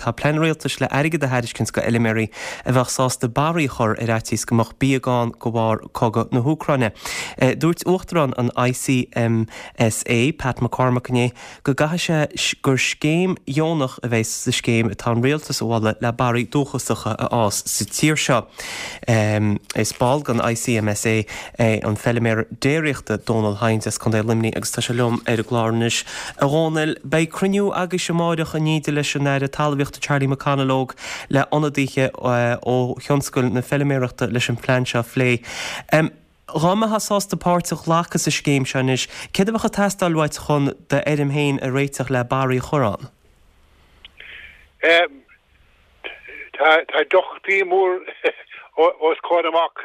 Tá plean rialtais le airgead a thairiscint go fheilméaraí a bheadh sásta barraí a chur ar fhaitíos go mbeadh bia gann de bharr cogadh na hÚcráine. Dúirt Uachtarán an ICMSA, Pat McCormack inné go gcaithfidh sé gur scéim dheonach a bheidh sa scéim atá an rialtas a mholadh le barraí dúchasacha a fhás sa tír seo. Is ball den ICMSA é an feilméara déiríochta Dónal Hynes as Contae Luimnigh agus tá sé liom ar an gclár anois. A Dhónaill, beidh cruinniú agaibhse amáireach in éindí leis an Aire Talmhaíochta Charlie McConalogue le ionadaithe ó thionscal na feilméarachta leis an phlean seo a phlé. Dhá mbeifeá sásta páirt a ghlacadh sa scéim seo anois, céard a bheadh ag teastáil uait chun d'fheirm féin a réiteach le barraí a chur ann? Tá deacrachtaí mór os comhair amach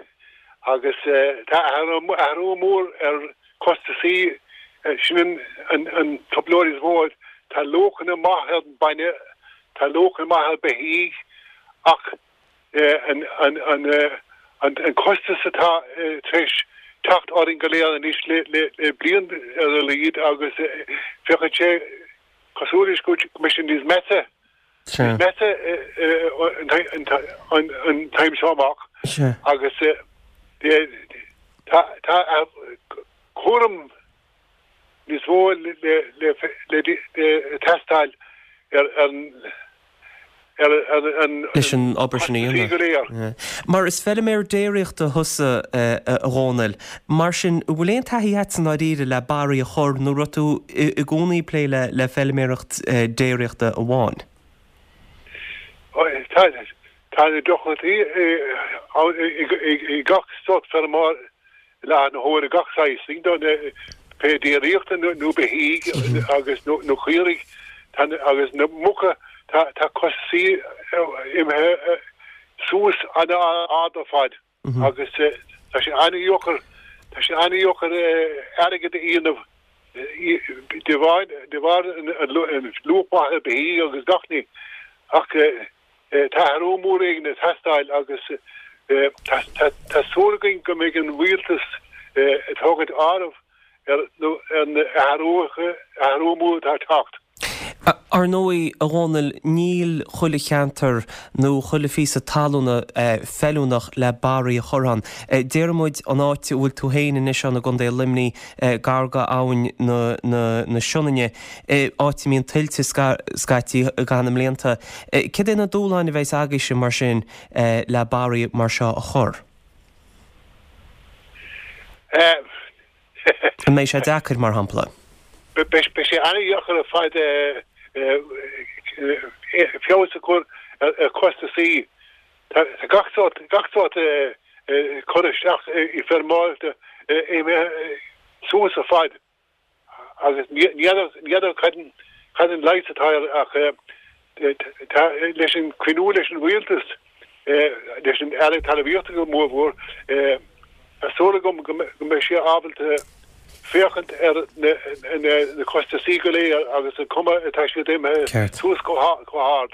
agus tá athrú mór ar chostasaí, sin an trioblóid is mó. Tá luachanna maith ar an bainne, tá luachanna maith ar beithígh ach an costas atá tar éis teacht orainn go léir anois le bliain ar a laghad agus féachann sé cosúil leis go mbeidh sé níos measa, níos measa an t-am seo amach agus tá cúram níos mó le teastáil ar an leis an obair sin a dhéanamh. Mar is feilméar déiríochta thusa, a Dhónaill, mar sin, an bhfuil aon taithí agat i ndáiríre le barraí a chur nó raibh tú i gcónaí ag plé le feilméaracht déiríochta amháin? Tá na deacrachtaí i gach sórt feirmeoir I láthair na huaire gach saghas pé déiríochta nó beithígh agus nó caoirigh agus na muca tá costasaí imithe suas an-ard ar fad agus tá sé an-dheacair tá sé an-dheacair airgead a dhéanamh de bharr de bharr an luach maith ar beithígh agus gach ní ach Tá athrú mór éigin ag teastáil agus tá súil againn go mbeidh an rialtas ag tógaint áireamh ar na athrú mór atá ag teacht. Ar ndóigh, a Dhónaill, níl chuile cheantar nó chuile phíosa talúna feiliúnach le barraí a chur ann. Déarfaidh muid an áit a bhfuil tú féin anois ann i gContae Luimnigh, gar go abhainn na Sionainne, áit a mbíonn tuilte scaití i gcaitheamh na mblianta. Céard é na dúshláin a bheas agaibhse mar sin le barraí mar seo a chur? An mbeidh sé deacair, mar shampla? Beidh sé an-dheacair ar fad feabhas a chur ar chostasaí. Tá gach sórt, gach sórt cur isteach i feirmeoireachta imithe suas ar fad. Agus ní fheadar cad an leigheas atá air ach tá leis an cruinniú leis an rialtas, leis an Aire Talmhaíochta go mórmhór, tá súil agam go mbeidh sé ábalta féachaint ar na costasaí go léir agus an cuma atá siad imithe suas chomh hard.